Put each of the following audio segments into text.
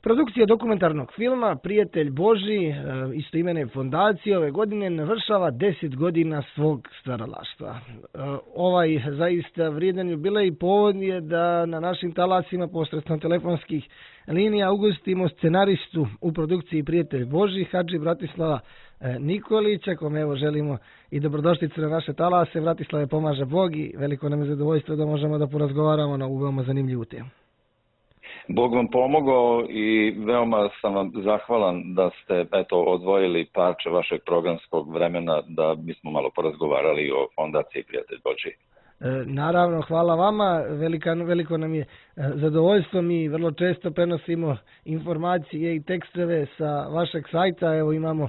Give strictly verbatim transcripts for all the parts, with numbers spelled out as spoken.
Produkcija dokumentarnog filma Prijatelj Božji, istoimene fondacije, ove godine navršava deset godina svog stvaralaštva. Ovaj zaista vrijedan jubilej povod je da na našim talasima posredstvom telefonskih linija ugostimo scenaristu u produkciji Prijatelj Božji, Hadži Bratislava Nikolića, kome evo želimo i dobrodošlicu na naše talase. Bratislave, pomaže Bog i veliko nam je zadovoljstvo da možemo da porazgovaramo na ovu veoma zanimljivu temu. Bog vam pomogao i veoma sam vam zahvalan da ste eto odvojili parče vašeg programskog vremena da bismo malo porazgovarali o fondaciji Prijatelj Božji. E, naravno, hvala vama, Velika, veliko nam je zadovoljstvo, mi vrlo često prenosimo informacije i tekstove sa vašeg sajta, evo imamo e,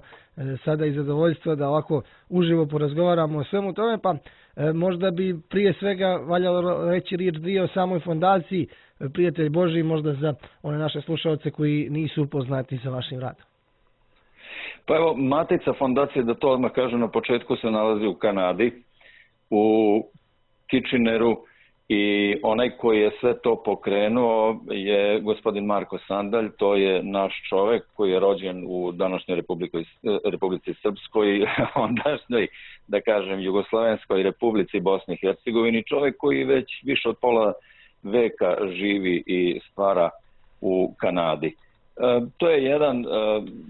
sada i zadovoljstvo da ovako uživo porazgovaramo o svemu tome, pa e, možda bi prije svega valjalo reći riječ dvije o samoj fondaciji Prijatelj Božji, možda za one naše slušalce koji nisu upoznati sa vašim radom. Pa evo, matica fondacije, da to odmah kažem na početku, se nalazi u Kanadi, u Kitcheneru, i onaj koji je sve to pokrenuo je gospodin Marko Sandalj. To je naš čovek koji je rođen u današnjoj Republici, Republici Srpskoj, ondašnjoj, da kažem, Jugoslovenskoj Republici Bosni i Hercegovini, čovek koji već više od pola veka živi i stvara u Kanadi. E, to je jedan e,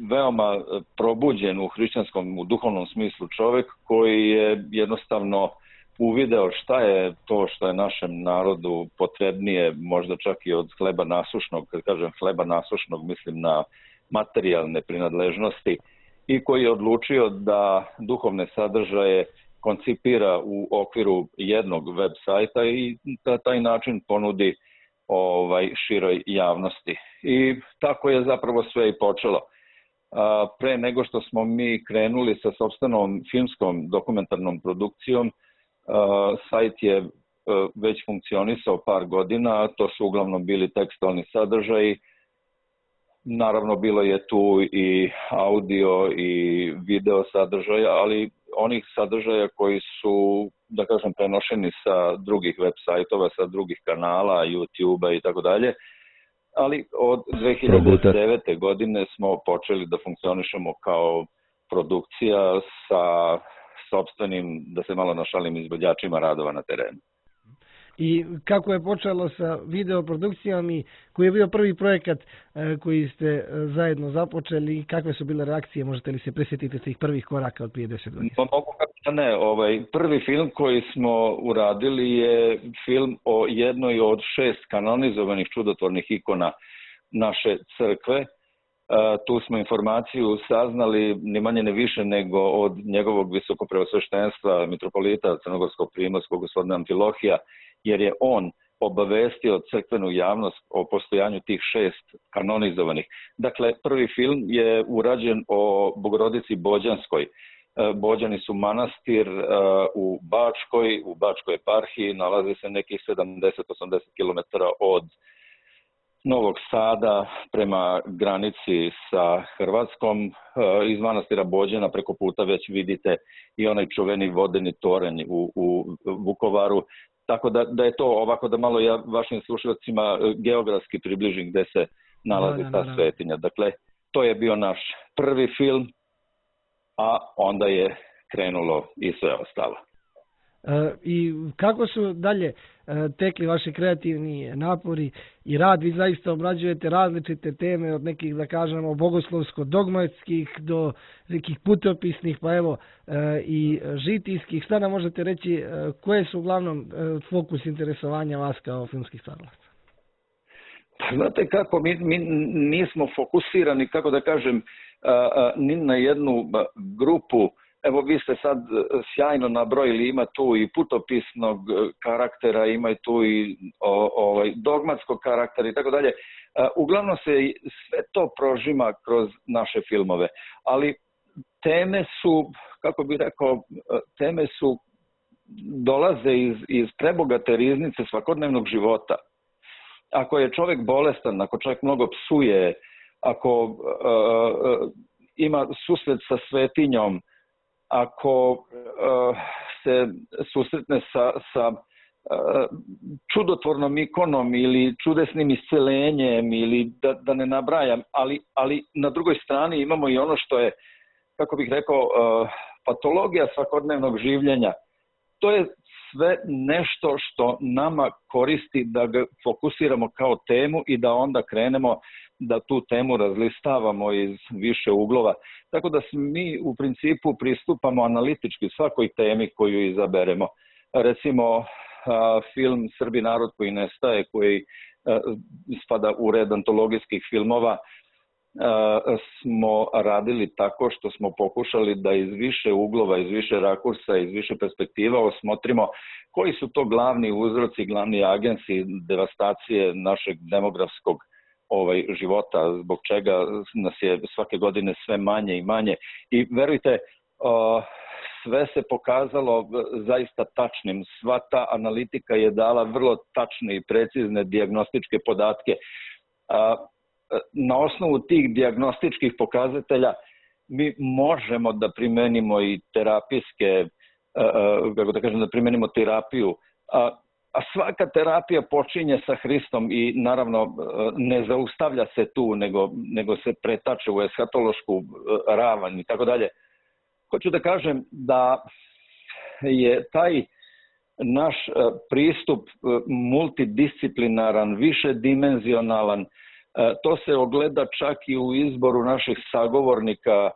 veoma probuđen u hrišćanskom, u duhovnom smislu čovek koji je jednostavno uvideo šta je to što je našem narodu potrebnije, možda čak i od hleba nasušnog, kad kažem hleba nasušnog, mislim na materijalne prinadležnosti, i koji je odlučio da duhovne sadržaje koncipira u okviru jednog web sajta i na taj način ponudi ovaj široj javnosti. I tako je zapravo sve i počelo. A, pre nego što smo mi krenuli sa sopstvenom filmskom dokumentarnom produkcijom, a, sajt je a, već funkcionisao par godina, a to su uglavnom bili tekstualni sadržaji. Naravno, bilo je tu i audio i video sadržaja, ali onih sadržaja koji su, da kažem, prenošeni sa drugih web sajtova, sa drugih kanala, YouTube-a i tako dalje. Ali od dve hiljade devete. godine smo počeli da funkcionišemo kao produkcija sa sopstvenim, da se malo našalim, izvođačima radova na terenu. I kako je počelo sa videoprodukcijom i koji je bio prvi projekat e, koji ste e, zajedno započeli i kakve su bile reakcije, možete li se prisjetiti tih prvih koraka od prije deset godina? Pa mogu kako da ne, ovaj, prvi film koji smo uradili je film o jednoj od šest kanonizovanih čudotvornih ikona naše crkve. E, tu smo informaciju saznali ni manje ne više nego od njegovog visokopreosveštenstva mitropolita crnogorskog primorskog gospodina Amfilohija, jer je on obavestio crkvenu javnost o postojanju tih šest kanonizovanih. Dakle, prvi film je urađen o Bogorodici Bođanskoj. Bođani su manastir u Bačkoj, u Bačkoj eparhiji, nalazi se nekih sedamdeset do osamdeset kilometara od Novog Sada prema granici sa Hrvatskom. Iz manastira Bođana preko puta već vidite i onaj čuveni vodeni toranj u, u Vukovaru. Tako da, da je to ovako da malo ja vašim slušalcima geografski približim gde se nalazi da, da, ta da, da. svetinja. Dakle, to je bio naš prvi film, a onda je krenulo i sve ostalo. E, I kako su dalje e, tekli vaši kreativni napori i rad? Vi zaista obrađujete različite teme, od nekih, da kažemo, bogoslovsko-dogmatskih do nekih putopisnih, pa evo e, i žitijskih. Šta nam možete reći, e, koje su uglavnom e, fokus interesovanja vas kao filmskih stvaralaca? Znate kako, mi, mi nismo fokusirani, kako da kažem, a, a, ni na jednu grupu. Evo, vi ste sad sjajno nabrojili, ima tu i putopisnog karaktera, ima tu i o, ovaj, dogmatskog karaktera i tako dalje. Uglavnom se sve to prožima kroz naše filmove, ali teme su, kako bih rekao, teme su, dolaze iz, iz prebogate riznice svakodnevnog života. Ako je čovjek bolestan, ako čovjek mnogo psuje, ako uh, uh, ima susret sa svetinjom, ako uh, se susretne sa, sa čudotvornom ikonom ili čudesnim iscelenjem ili da, da ne nabrajam, ali, ali na drugoj strani imamo i ono što je, kako bih rekao, patologija svakodnevnog življenja. To je sve nešto što nama koristi da ga fokusiramo kao temu i da onda krenemo da tu temu razlistavamo iz više uglova. Tako da mi u principu pristupamo analitički svakoj temi koju izaberemo. Recimo, film Srbi narod koji nestaje, koji spada u red antologijskih filmova, smo radili tako što smo pokušali da iz više uglova, iz više rakursa, iz više perspektiva osmotrimo koji su to glavni uzroci, glavni agensi devastacije našeg demografskog ovaj, života, zbog čega nas je svake godine sve manje i manje. I verujte, sve se pokazalo zaista tačnim. Sva ta analitika je dala vrlo tačne i precizne dijagnostičke podatke. Na osnovu tih dijagnostičkih pokazatelja mi možemo da primenimo i terapijske, kako da kažem, da primenimo terapiju. A svaka terapija počinje sa Hristom i naravno ne zaustavlja se tu, nego, nego se pretače u eshatološku ravan i tako dalje. Hoću da kažem da je taj naš pristup multidisciplinaran, višedimenzionalan. To se ogleda čak i u izboru naših sagovornika,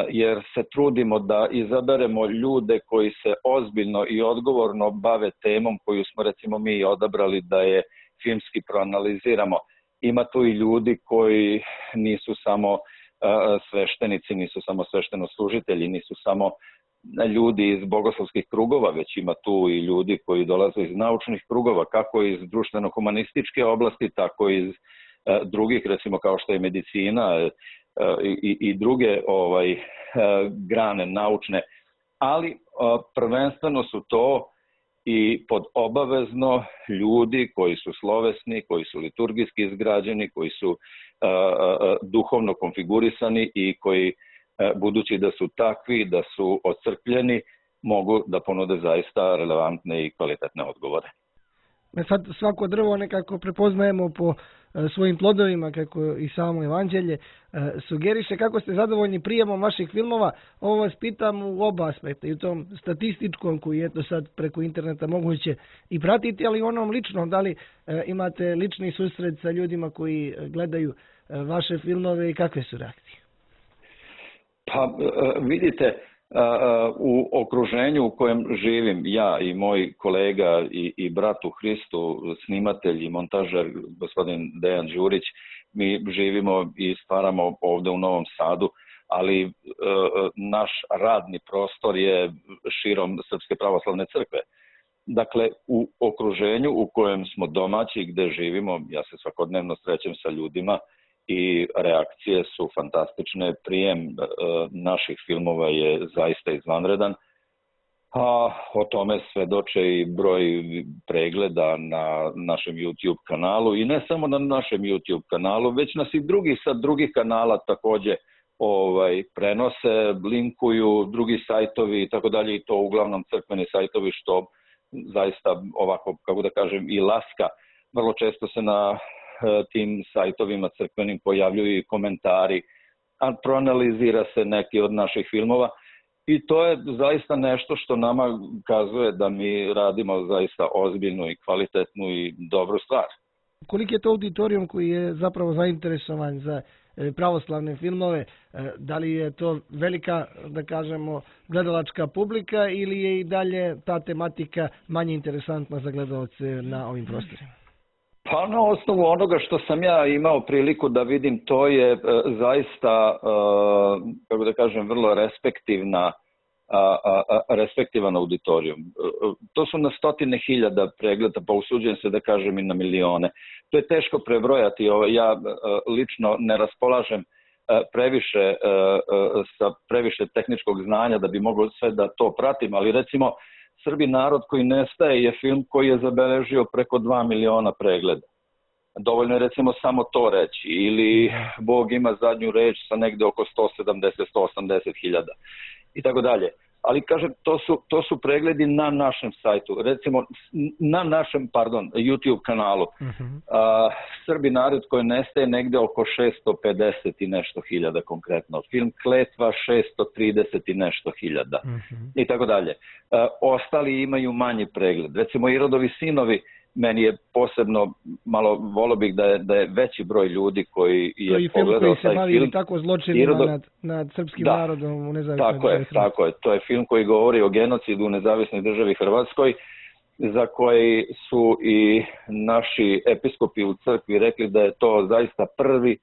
jer se trudimo da izaberemo ljude koji se ozbiljno i odgovorno bave temom koju smo recimo mi odabrali da je filmski proanaliziramo. Ima tu i ljudi koji nisu samo sveštenici, nisu samo sveštenoslужitelji, nisu samo ljudi iz bogoslovskih krugova, već ima tu i ljudi koji dolaze iz naučnih krugova, kako iz društveno-humanističke oblasti, tako i iz drugih, recimo kao što je medicina i, i druge ovaj, grane naučne, ali prvenstveno su to i pod obavezno ljudi koji su slovesni, koji su liturgijski izgrađeni, koji su uh, uh, duhovno konfigurisani i koji, uh, budući da su takvi, da su ocrkljeni, mogu da ponude zaista relevantne i kvalitetne odgovore. Sad svako drvo nekako prepoznajemo po svojim plodovima, kako i samo evanđelje sugeriše. Kako ste zadovoljni prijemom vaših filmova? Ovo vas pitam u oba aspekta, i u tom statističkom koji je to sad preko interneta moguće i pratiti, ali i onom ličnom. Da li imate lični susret sa ljudima koji gledaju vaše filmove i kakve su reakcije? Pa vidite, u okruženju u kojem živim ja i moj kolega i, i brat u Hristu, snimatelj i montažer gospodin Dejan Đurić, mi živimo i stvaramo ovde u Novom Sadu, ali e, naš radni prostor je širom Srpske pravoslavne crkve. Dakle, u okruženju u kojem smo domaći, gde živimo, ja se svakodnevno srećem sa ljudima i reakcije su fantastične. Prijem e, naših filmova je zaista izvanredan. A o tome svedoče i broj pregleda na našem YouTube kanalu i ne samo na našem YouTube kanalu, već nas i drugi sa drugih kanala takođe ovaj, prenose, linkuju, drugi sajtovi i tako dalje, i to uglavnom crkveni sajtovi, što zaista ovako, kako da kažem, i laska. Vrlo često se na tim sajtovima crkvenim pojavljuju i komentari, a proanalizira se neki od naših filmova i to je zaista nešto što nama kazuje da mi radimo zaista ozbiljnu i kvalitetnu i dobru stvar. Koliki je to auditorijum koji je zapravo zainteresovan za pravoslavne filmove? Da li je to velika, da kažemo, gledalačka publika ili je i dalje ta tematika manje interesantna za gledalce na ovim prostorima? Pa na osnovu onoga što sam ja imao priliku da vidim, to je e, zaista, e, kako da kažem, vrlo respektivna, a, a, respektivan auditorijum. E, to su na stotine hiljada pregleda, pa usuđujem se da kažem i na milione. To je teško prebrojati. Ja e, lično ne raspolažem e, previše e, sa previše tehničkog znanja da bi mogao sve da to pratim, ali recimo Srbi narod koji nestaje je film koji je zabeležio preko dva miliona pregleda. Dovoljno je recimo samo to reći. Ili Bog ima zadnju reč sa negde oko sto sedamdeset do sto osamdeset hiljada. I tako dalje. ali kažem, to su, to su pregledi na našem sajtu, recimo na našem, pardon, YouTube kanalu. Uh-huh. A, Srbi narod koji nestaje negde oko šesto pedeset i nešto hiljada konkretno. Film Kletva šesto trideset i nešto hiljada. Uh-huh. I tako dalje. A, ostali imaju manji pregled. Recimo Irodovi sinovi, meni je posebno, malo volio bih da je, da je veći broj ljudi koji je pogledao taj film. To je film koji se bavi film. Tako zločinima Irodo... nad, nad srpskim da, narodom u nezavisnoj tako je, tako je. To je film koji govori o genocidu u nezavisnoj državi Hrvatskoj, za koji su i naši episkopi u crkvi rekli da je to zaista prvi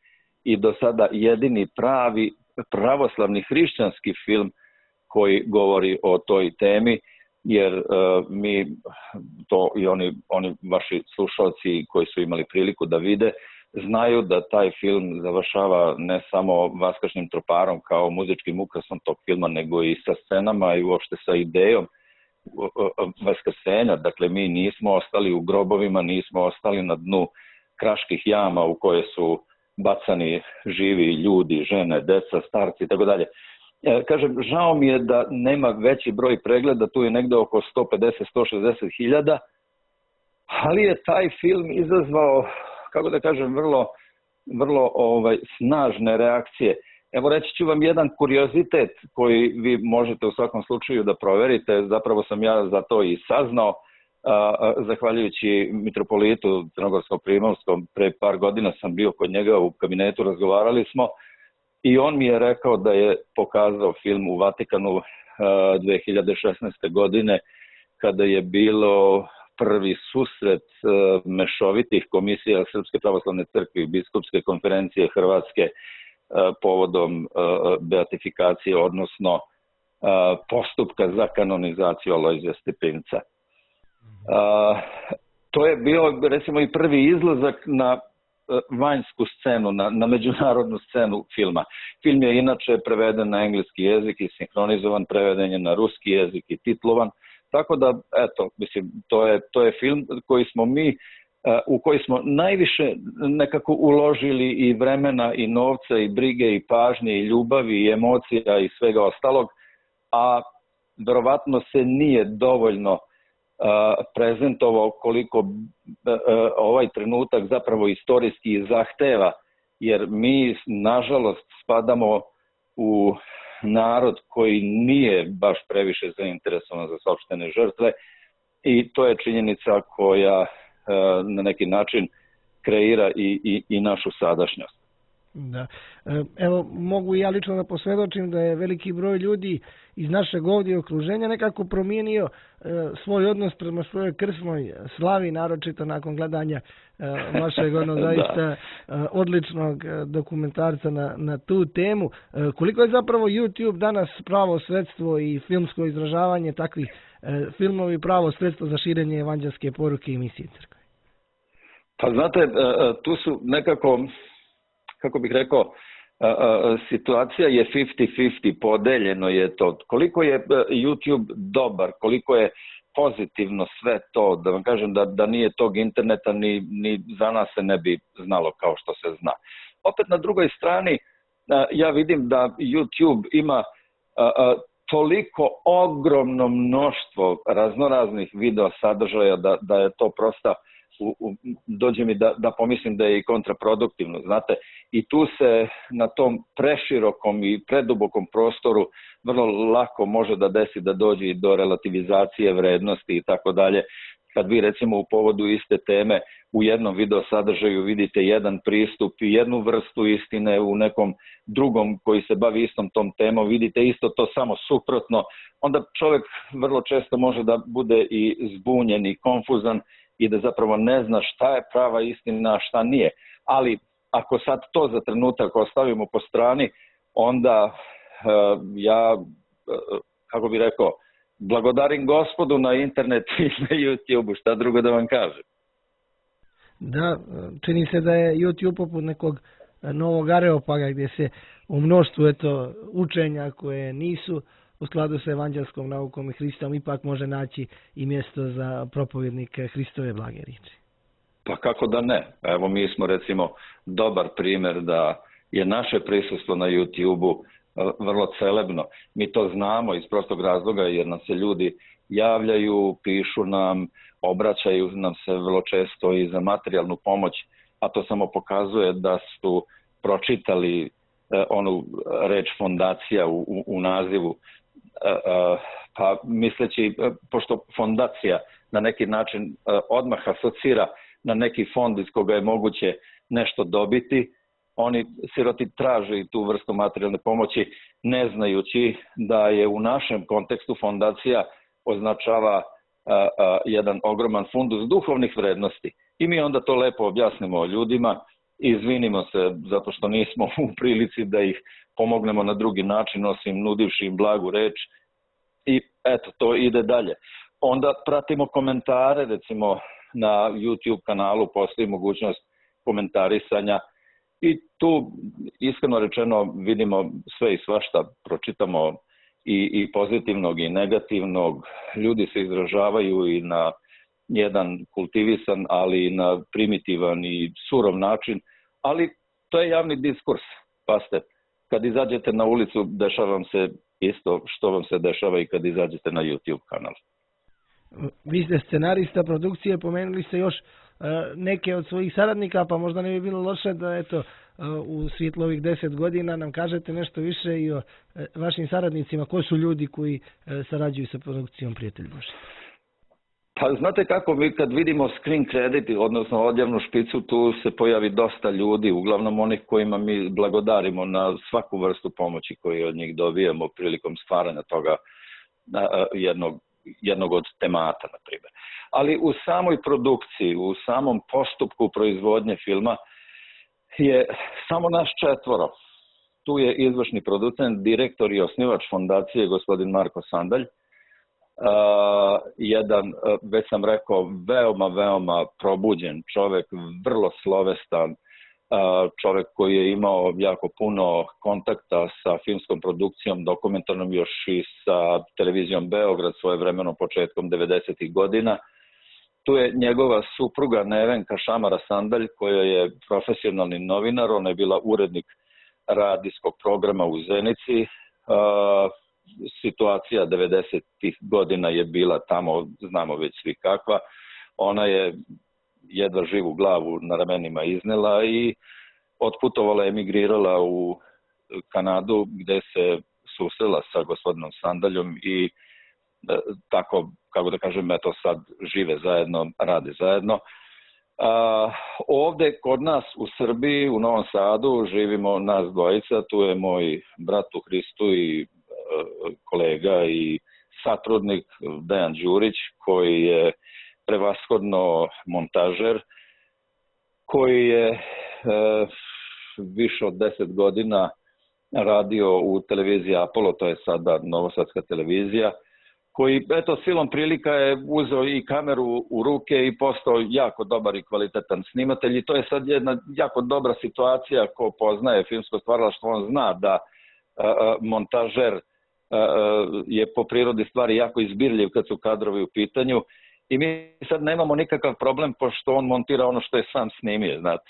i do sada jedini pravi pravoslavni hrišćanski film koji govori o toj temi. Jer uh, mi to i oni, oni vaši slušalci koji su imali priliku da vide, znaju da taj film završava ne samo Vaskršnjim troparom kao muzičkim ukrasom tog filma, nego i sa scenama i uopšte sa idejom vaskrsenja. Dakle, mi nismo ostali u grobovima, nismo ostali na dnu kraških jama u koje su bacani živi ljudi, žene, deca, starci i tako dalje. Kažem, žao mi je da nema veći broj pregleda, tu je negde oko sto pedeset do sto šezdeset hiljada, ali je taj film izazvao, kako da kažem, vrlo, vrlo ovaj, snažne reakcije. Evo reći ću vam jedan kuriozitet koji vi možete u svakom slučaju da proverite, zapravo sam ja za to i saznao, a, a, zahvaljujući mitropolitu Crnogorsko-Primorskom, pre par godina sam bio kod njega u kabinetu, razgovarali smo, i on mi je rekao da je pokazao film u Vatikanu uh, dve hiljade šesnaeste. godine kada je bilo prvi susret uh, mešovitih komisija Srpske pravoslavne crkve i Biskupske konferencije Hrvatske uh, povodom uh, beatifikacije, odnosno uh, postupka za kanonizaciju Alojzija Stepinca. Uh, to je bio, recimo, i prvi izlazak na vanjsku scenu, na, na međunarodnu scenu filma. Film je inače preveden na engleski jezik i sinhronizovan, preveden je na ruski jezik i titlovan, tako da, eto, mislim, to je, to je film koji smo mi, u koji smo najviše nekako uložili i vremena i novca i brige i pažnje i ljubavi i emocija i svega ostalog, a verovatno se nije dovoljno prezentovao koliko ovaj trenutak zapravo istorijski zahteva, jer mi nažalost spadamo u narod koji nije baš previše zainteresovan za sopstvene žrtve i to je činjenica koja na neki način kreira i, i, i našu sadašnjost. Da. Evo, mogu i ja lično da posvjedočim da je veliki broj ljudi iz našeg ovdje okruženja nekako promijenio e, svoj odnos prema svojoj krsnoj slavi, naročito nakon gledanja e, vašeg ono zaista e, odličnog dokumentarca na, na tu temu. E, koliko je zapravo YouTube danas pravo sredstvo i filmsko izražavanje takvih e, filmovi pravo sredstvo za širenje evanđelske poruke i misije crkve? Pa znate, e, tu su nekako, kako bih rekao, situacija je pedeset pedeset, podeljeno je to. Koliko je YouTube dobar, koliko je pozitivno sve to, da vam kažem da, da nije tog interneta, ni, ni za nas se ne bi znalo kao što se zna. Opet na drugoj strani, ja vidim da YouTube ima toliko ogromno mnoštvo raznoraznih video sadržaja da, da je to prosta, U, u, dođe mi da, da pomislim da je i kontraproduktivno, znate, i tu se na tom preširokom i predubokom prostoru vrlo lako može da desi da dođe i do relativizacije vrednosti i tako dalje. Kad vi recimo u povodu iste teme u jednom video sadržaju vidite jedan pristup i jednu vrstu istine, u nekom drugom koji se bavi istom tom temom vidite isto to samo suprotno, onda čovjek vrlo često može da bude i zbunjen i konfuzan i da zapravo ne zna šta je prava istina, a šta nije. Ali ako sad to za trenutak ostavimo po strani, onda uh, ja, uh, kako bih rekao, blagodarim Gospodu na internetu i na YouTube-u, šta drugo da vam kažem. Da, čini se da je YouTube poput nekog novog Areopaga gdje se u mnoštvu eto, učenja koje nisu u skladu sa evanđelskom naukom i Hristom ipak može naći i mjesto za propovjednike Hristove blage riječi. Pa kako da ne? Evo mi smo recimo dobar primjer da je naše prisustvo na YouTube-u vrlo celebno. Mi to znamo iz prostog razloga jer nam se ljudi javljaju, pišu nam, obraćaju nam se vrlo često i za materijalnu pomoć, a to samo pokazuje da su pročitali onu reč fondacija u, u, u nazivu. Pa misleći, pošto fondacija na neki način odmah asocira na neki fond iz koga je moguće nešto dobiti, oni siroti traže tu vrstu materijalne pomoći ne znajući da je u našem kontekstu fondacija označava a, a, jedan ogroman fundus duhovnih vrednosti. I mi onda to lepo objasnimo ljudima i izvinimo se zato što nismo u prilici da ih pomognemo na drugi način osim nudivši im blagu reč i eto, to ide dalje. Onda pratimo komentare, recimo na YouTube kanalu postoji mogućnost komentarisanja i tu iskreno rečeno vidimo sve i svašta, pročitamo i, i pozitivnog i negativnog, ljudi se izražavaju i na jedan kultivisan, ali i na primitivan i surov način, ali to je javni diskurs, paste. Kad izađete na ulicu, dešava vam se isto što vam se dešava i kad izađete na YouTube kanal. Vi ste scenarista produkcije, pomenuli ste još neke od svojih saradnika, pa možda ne bi bilo loše da eto, u svjetlu ovih deset godina nam kažete nešto više i o vašim saradnicima. Ko su ljudi koji sarađuju sa produkcijom Prijatelj Božji? Pa znate kako, mi kad vidimo screen credit, odnosno odjavnu špicu, tu se pojavi dosta ljudi, uglavnom onih kojima mi blagodarimo na svaku vrstu pomoći koju od njih dobijemo prilikom stvaranja toga jednog, jednog od temata, na primjer. Ali u samoj produkciji, u samom postupku proizvodnje filma je samo naš četvoro. Tu je izvršni producent, direktor i osnivač fondacije, gospodin Marko Sandalj. Uh, jedan, uh, već sam rekao, veoma, veoma probuđen čovjek, vrlo slovestan, uh, čovjek koji je imao jako puno kontakta sa filmskom produkcijom, dokumentarnom još i sa televizijom Beograd svojevremeno početkom devedesetih godina. Tu je njegova supruga Nevenka Šamara Sandalj, koja je profesionalni novinar, ona je bila urednik radijskog programa u Zenici. Uh, situacija devedesetih godina je bila tamo, znamo već svi kakva. Ona je jedva živu glavu na ramenima iznela i otputovala, emigrirala u Kanadu gdje se susrela sa gospodinom Sandaljom i tako, kako da kažem, eto sad žive zajedno, rade zajedno. A, ovdje kod nas u Srbiji, u Novom Sadu, živimo nas dvojica, tu je moj brat u Hristu i kolega i satrudnik Dejan Đurić, koji je prevashodno montažer, koji je e, više od deset godina radio u televiziji Apollo, to je sada novosadska televizija, koji, eto, silom prilika je uzeo i kameru u ruke i postao jako dobar i kvalitetan snimatelj i to je sad jedna jako dobra situacija. Ko poznaje filmsko stvaralaštvo, on zna da a, montažer je po prirodi stvari jako izbirljiv kad su kadrovi u pitanju i mi sad nemamo nikakav problem pošto on montira ono što je sam snimio, znate.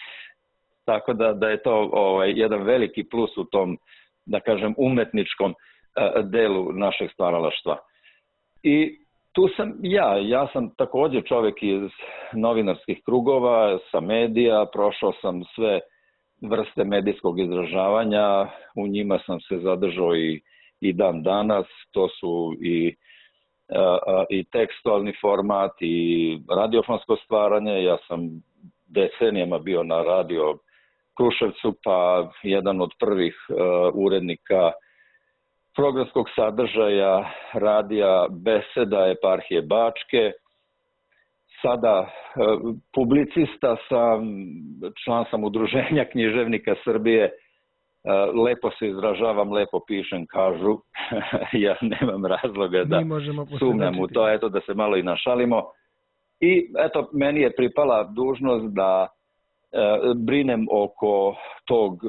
Tako da, da je to ovaj, jedan veliki plus u tom, da kažem, umetničkom uh, delu našeg stvaralaštva. I tu sam ja, ja sam također čovjek iz novinarskih krugova, sa medija, prošao sam sve vrste medijskog izražavanja, u njima sam se zadržao i i dan danas, to su i, a, i tekstualni format i radiofonsko stvaranje. Ja sam decenijama bio na radio Kruševcu, pa jedan od prvih a, urednika programskog sadržaja radija Beseda eparhije Bačke. Sada a, publicista sam, član sam Udruženja književnika Srbije. Lepo se izražavam, lepo pišem, kažu. Ja nemam razloga da sumnjam u to, eto, da se malo i našalimo. I eto, meni je pripala dužnost da e, brinem oko tog,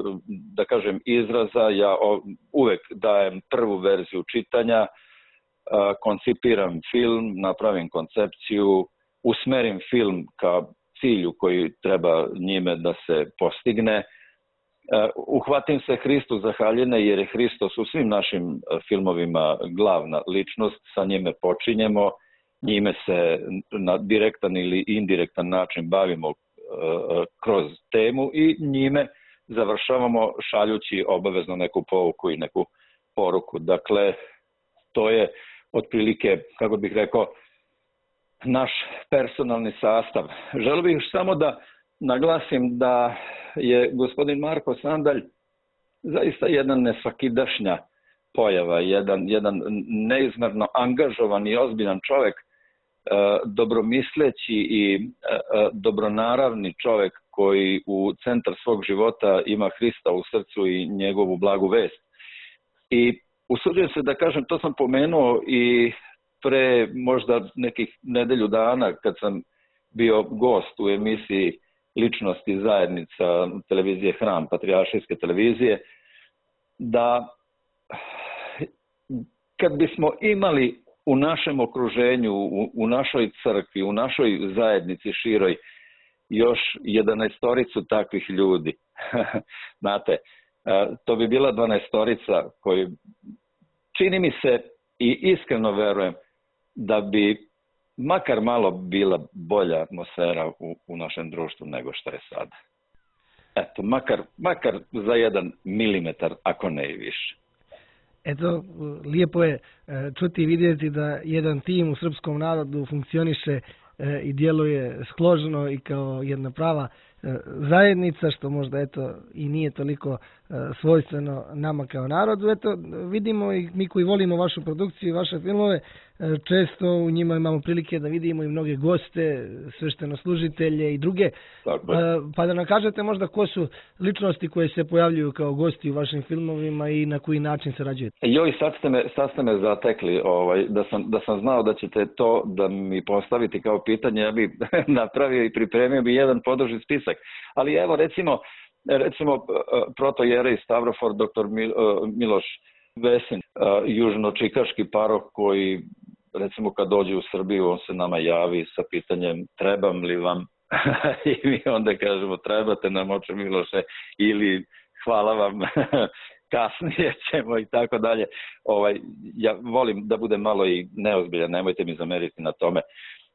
da kažem, izraza. Ja o, uvek dajem prvu verziju čitanja, e, koncipiram film, napravim koncepciju, usmerim film ka cilju koji treba njime da se postigne. Uhvatim se Hristu za haljine jer je Hristos u svim našim filmovima glavna ličnost, sa njime počinjemo, njime se na direktan ili indirektan način bavimo kroz temu i njime završavamo šaljući obavezno neku pouku i neku poruku. Dakle, to je otprilike, kako bih rekao, naš personalni sastav. Želio bih samo da naglasim da je gospodin Marko Sandalj zaista jedan nesvakidašnja pojava, jedan, jedan neizmerno angažovan i ozbiljan čovjek, dobromisleći i dobronaravni čovjek koji u centar svog života ima Hrista u srcu i njegovu blagu vest. I usuđujem se da kažem, to sam pomenuo i pre možda nekih nedelju dana kad sam bio gost u emisiji Ličnosti zajednica televizije Hram, patrijaršijske televizije, da kad bismo imali u našem okruženju, u, u našoj crkvi, u našoj zajednici široj još jedanaestoricu takvih ljudi, znate, to bi bila dvanaestorica koji, čini mi se i iskreno verujem da bi makar malo bila bolja atmosfera u, u našem društvu nego što je sada. Eto, makar, makar za jedan milimetar, ako ne i više. Eto, lijepo je čuti i vidjeti da jedan tim u srpskom narodu funkcioniše i djeluje složno i kao jedna prava zajednica, što možda eto i nije toliko svojstveno nama kao narodu. Eto, vidimo i mi koji volimo vašu produkciju i vaše filmove, često u njima imamo prilike da vidimo i mnoge goste, sveštenoslужitelje i druge. Pa da nam kažete možda ko su ličnosti koje se pojavljuju kao gosti u vašim filmovima i na koji način sarađujete? Joj, sad ste me, sad ste me zatekli, ovaj, da, sam, da sam znao da ćete to da mi postaviti kao pitanje, ja bi napravio i pripremio bi jedan poduži spisak. Ali evo recimo, recimo protojerej Stavrofor, doktor Miloš Vesin, južno-čikaški parok koji recimo kad dođe u Srbiju on se nama javi sa pitanjem trebam li vam i mi onda kažemo trebate nam oče Miloše ili hvala vam kasnije ćemo i tako dalje. Ovaj, ja volim da budem malo i neozbiljan, nemojte mi zameriti na tome.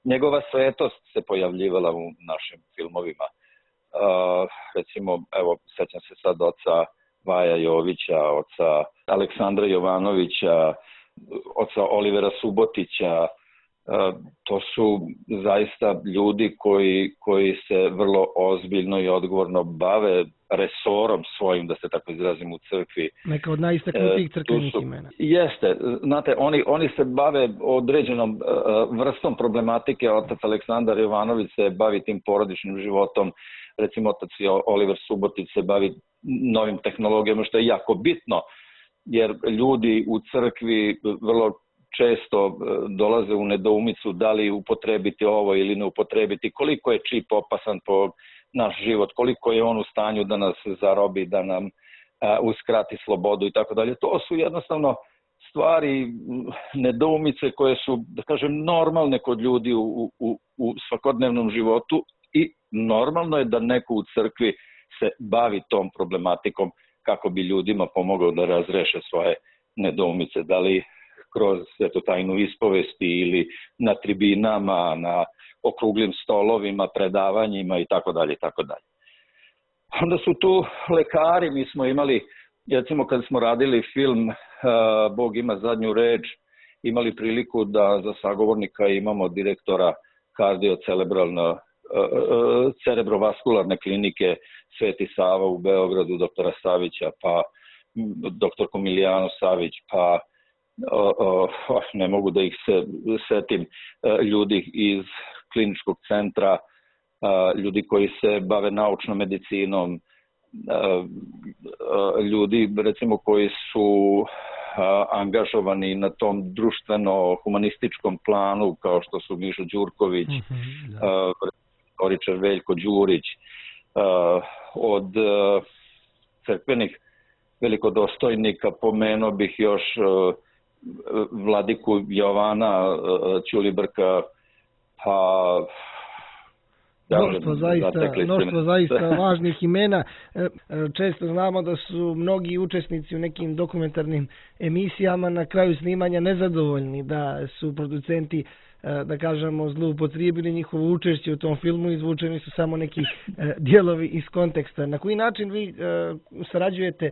Njegova svetost se pojavljivala u našim filmovima. Uh, recimo, evo, sećam se sad oca Vaja Jovića, oca Aleksandra Jovanovića, oca Olivera Subotića. Uh, to su zaista ljudi koji, koji se vrlo ozbiljno i odgovorno bave resorom svojim, da se tako izrazim, u crkvi. Neka od najistaknutijih crkvenih imena. Jeste, znate, oni, oni se bave određenom uh, vrstom problematike. Otac Aleksandar Jovanović se bavi tim porodičnim životom, recimo otac Oliver Subotić se bavi novim tehnologijama, što je jako bitno, jer ljudi u crkvi vrlo često dolaze u nedoumicu da li upotrebiti ovo ili ne upotrebiti, koliko je čip opasan po naš život, koliko je on u stanju da nas zarobi, da nam a, uskrati slobodu i tako dalje. To su jednostavno stvari, nedoumice koje su, da kažem, normalne kod ljudi u, u, u svakodnevnom životu i normalno je da neko u crkvi se bavi tom problematikom kako bi ljudima pomogao da razreše svoje nedoumice, da li kroz eto, tajnu ispovesti ili na tribinama, na okruglim stolovima, predavanjima i tako dalje i tako dalje. Onda su tu lekari, mi smo imali, recimo kad smo radili film uh, Bog ima zadnju reč, imali priliku da za sagovornika imamo direktora kardiocelebralne uh, cerebrovaskularne klinike Sveti Sava u Beogradu, doktora Savića, pa doktorku Milijanu Savić, pa uh, uh, ne mogu da ih se setim, uh, ljudi iz kliničkog centra, ljudi koji se bave naučnom medicinom, ljudi recimo koji su angažovani na tom društveno-humanističkom planu kao što su Mišo Đurković, mm-hmm, da. Koričar Veljko Đurić, od crkvenih velikodostojnika pomenuo bih još vladiku Jovana Ćulibrka, pa Mnoštvo zaista, mnoštvo zaista važnih imena. Često znamo da su mnogi učesnici u nekim dokumentarnim emisijama na kraju snimanja nezadovoljni, da su producenti, da kažemo, zloupotrijebili njihovo učešće u tom filmu, izvučeni su samo neki dijelovi iz konteksta. Na koji način vi sarađujete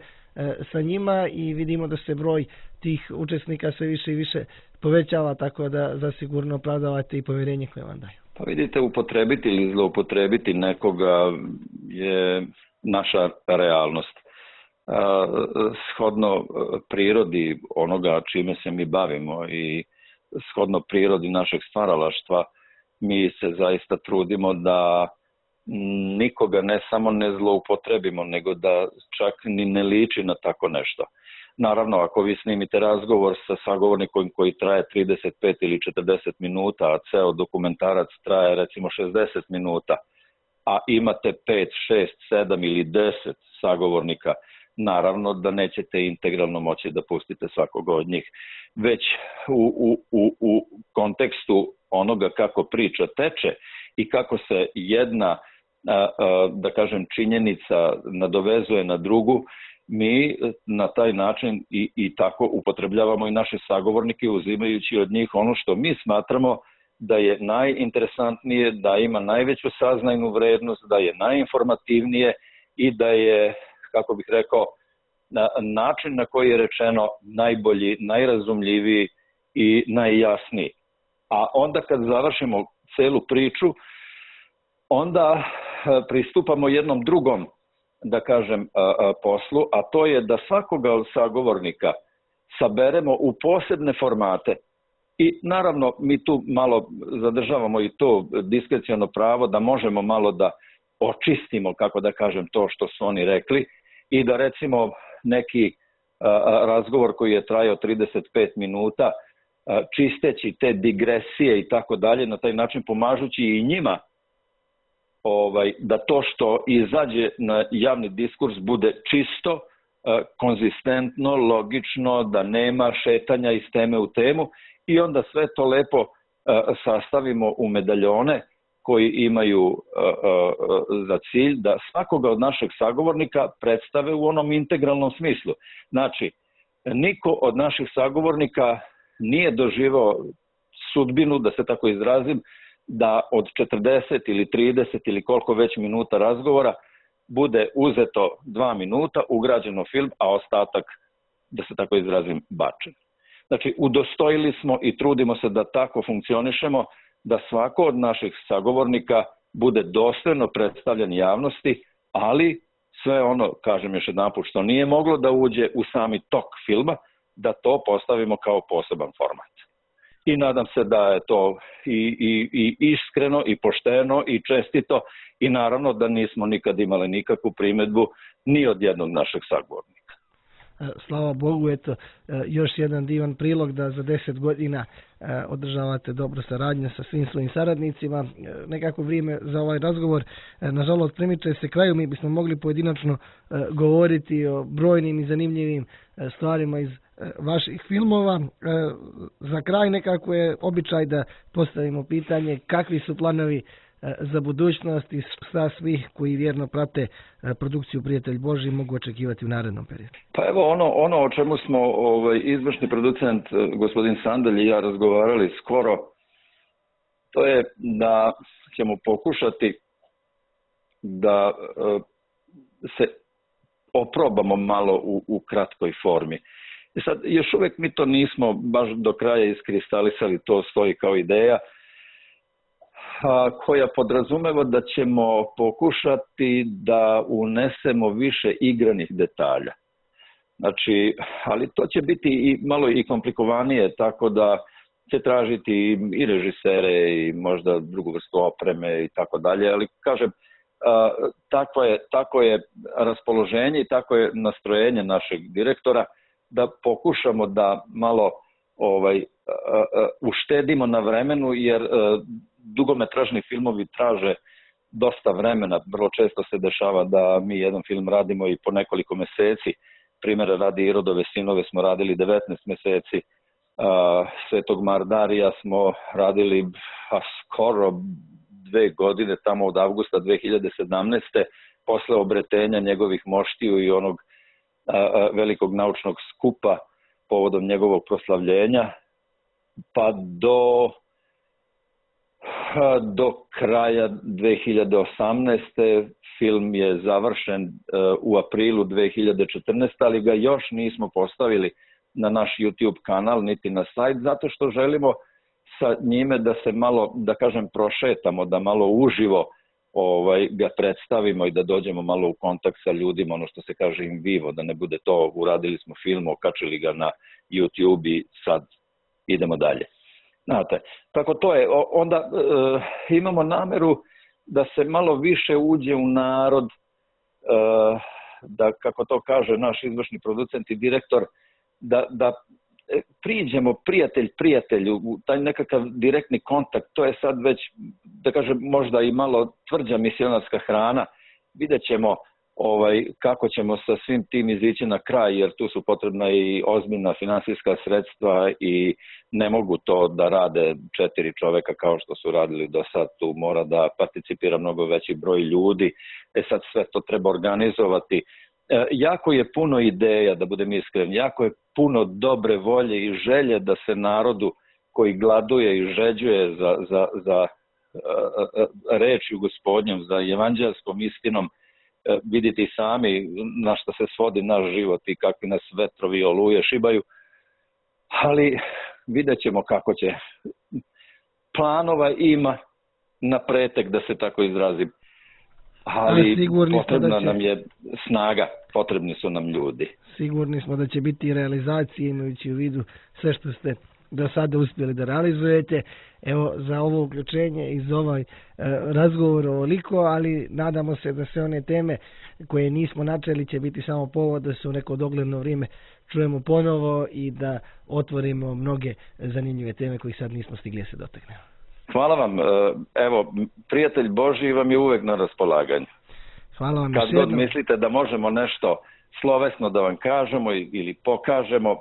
sa njima i vidimo da se broj tih učesnika sve više i više povećava, tako da zasigurno opravdavate i povjerenje koje vam daju? Pa vidite, upotrebiti ili zloupotrebiti nekoga je naša realnost. Shodno prirodi onoga čime se mi bavimo i shodno prirodi našeg stvaralaštva, mi se zaista trudimo da nikoga ne samo ne zloupotrebimo, nego da čak ni ne liči na tako nešto. Naravno, ako vi snimite razgovor sa sagovornikom koji traje trideset pet ili četrdeset minuta, a ceo dokumentarac traje recimo šezdeset minuta, a imate pet, šest, sedam ili deset sagovornika, naravno da nećete integralno moći da pustite svakoga od njih. Već u, u, u, u kontekstu onoga kako priča teče i kako se jedna, da kažem, činjenica nadovezuje na drugu, mi na taj način i, i tako upotrebljavamo i naše sagovornike, uzimajući od njih ono što mi smatramo da je najinteresantnije, da ima najveću saznajnu vrednost, da je najinformativnije i da je, kako bih rekao, način na koji je rečeno najbolji, najrazumljiviji i najjasniji. A onda kad završimo celu priču, onda pristupamo jednom drugom, da kažem, poslu, a to je da svakoga od sagovornika saberemo u posebne formate. I naravno mi tu malo zadržavamo i to diskreciono pravo da možemo malo da očistimo, kako da kažem, to što su oni rekli i da recimo neki razgovor koji je trajao trideset pet minuta, čisteći te digresije i tako dalje, na taj način pomažući i njima ovaj, da to što izađe na javni diskurs bude čisto, konzistentno, logično, da nema šetanja iz teme u temu i onda sve to lepo sastavimo u medaljone koji imaju za cilj da svakoga od našeg sagovornika predstave u onom integralnom smislu. Znači, niko od naših sagovornika nije doživao sudbinu, da se tako izrazim, da od četrdeset ili trideset ili koliko već minuta razgovora bude uzeto dva minuta, ugrađeno film, a ostatak, da se tako izrazim, bačen. Znači, udostojili smo i trudimo se da tako funkcionišemo, da svako od naših sagovornika bude dostojno predstavljen javnosti, ali sve ono, kažem još jedanput, što nije moglo da uđe u sami tok filma, da to postavimo kao poseban format. I nadam se da je to i, i, i iskreno i pošteno i čestito i naravno da nismo nikad imali nikakvu primedbu ni od jednog našeg sagovornika. Slava Bogu, eto, još jedan divan prilog da za deset godina održavate dobro saradnje sa svim svojim saradnicima. Nekako vrijeme za ovaj razgovor, nažalost, primiče se kraju. Mi bismo mogli pojedinačno govoriti o brojnim i zanimljivim stvarima iz vaših filmova. Za kraj nekako je običaj da postavimo pitanje kakvi su planovi za budućnost i šta svi koji vjerno prate produkciju Prijatelj Božji mogu očekivati u narednom periodu. Pa evo ono, ono o čemu smo ovaj, izvršni producent gospodin Sandalj i ja razgovarali skoro, to je da ćemo pokušati da uh, se oprobamo malo u, u kratkoj formi. I sad, još uvijek mi to nismo baš do kraja iskristalisali, to stoji kao ideja, koja podrazumeva da ćemo pokušati da unesemo više igranih detalja. Znači, ali to će biti i malo i komplikovanije, tako da će tražiti i režisere i možda drugu vrstu opreme i tako dalje, ali kažem, tako je, tako je raspoloženje i tako je nastrojenje našeg direktora da pokušamo da malo ovaj, uštedimo na vremenu, jer dugometražni filmovi traže dosta vremena. Vrlo često se dešava da mi jedan film radimo i po nekoliko meseci. Primjera radi Irodove sinove smo radili devetnaest meseci. Svetog Mardarija smo radili a, skoro dve godine, tamo od avgusta dve hiljade sedamnaeste. posle obretenja njegovih moštiju i onog a, a, velikog naučnog skupa povodom njegovog proslavljenja, pa do, a, do kraja dve hiljade osamnaeste. Film je završen a, u aprilu dve hiljade četrnaeste. ali ga još nismo postavili na naš YouTube kanal niti na sajt, zato što želimo sa njime da se malo, da kažem, prošetamo, da malo uživo ovaj, ga predstavimo i da dođemo malo u kontakt sa ljudima, ono što se kaže in vivo, da ne bude to uradili smo film, okačili ga na YouTube i sad idemo dalje. Znate, tako to je. Onda e, imamo nameru da se malo više uđe u narod, e, da, kako to kaže naš izvršni producent i direktor, da, da priđemo prijatelj prijatelju, taj nekakav direktni kontakt, to je sad već, da kažem, možda i malo tvrđa misionarska hrana. Vidjet ćemo ovaj, kako ćemo sa svim tim izići na kraj, jer tu su potrebna i ozbiljna finansijska sredstva i ne mogu to da rade četiri čoveka kao što su radili do sad. Tu mora da participira mnogo veći broj ljudi. E sad sve to treba organizovati. E, jako je puno ideja, da budem iskren, jako je puno dobre volje i želje da se narodu koji gladuje i žeđuje za, za, za uh, rečju Gospodnjom, za evanđelskom istinom, uh, vidite i sami na što se svodi naš život i kakvi nas vetrovi i oluje šibaju, ali vidjet ćemo kako će. Planova ima na pretek, da se tako izrazim. Ali potrebna će... nam je snaga, potrebni su nam ljudi. Sigurni smo da će biti realizacije, imajući u vidu sve što ste do sada uspjeli da realizujete. Evo, za ovo uključenje i za ovaj e, razgovor ovoliko, ali nadamo se da sve one teme koje nismo načeli će biti samo povod da se u neko dogledno vrijeme čujemo ponovo i da otvorimo mnoge zanimljive teme koje sad nismo stigli da se dotaknemo. Hvala vam. Evo, prijatelj Božji vam je uvek na raspolaganju. Hvala vam. Kad god mislite da možemo nešto slovesno da vam kažemo ili pokažemo,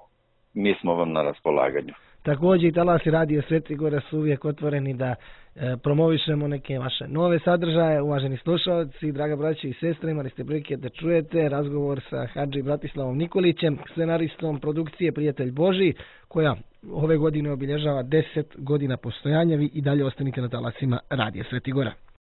mi smo vam na raspolaganju. Također i Talasi Radio Sveti Gora su uvijek otvoreni da e, promovišemo neke vaše nove sadržaje. Uvaženi slušalci, draga braća i sestre, imali ste prilike da čujete razgovor sa Hadži Bratislavom Nikolićem, scenaristom produkcije Prijatelj Božji, koja ove godine obilježava deset godina postojanja. Vi i dalje ostanite na talasima Radio Sveti Gora.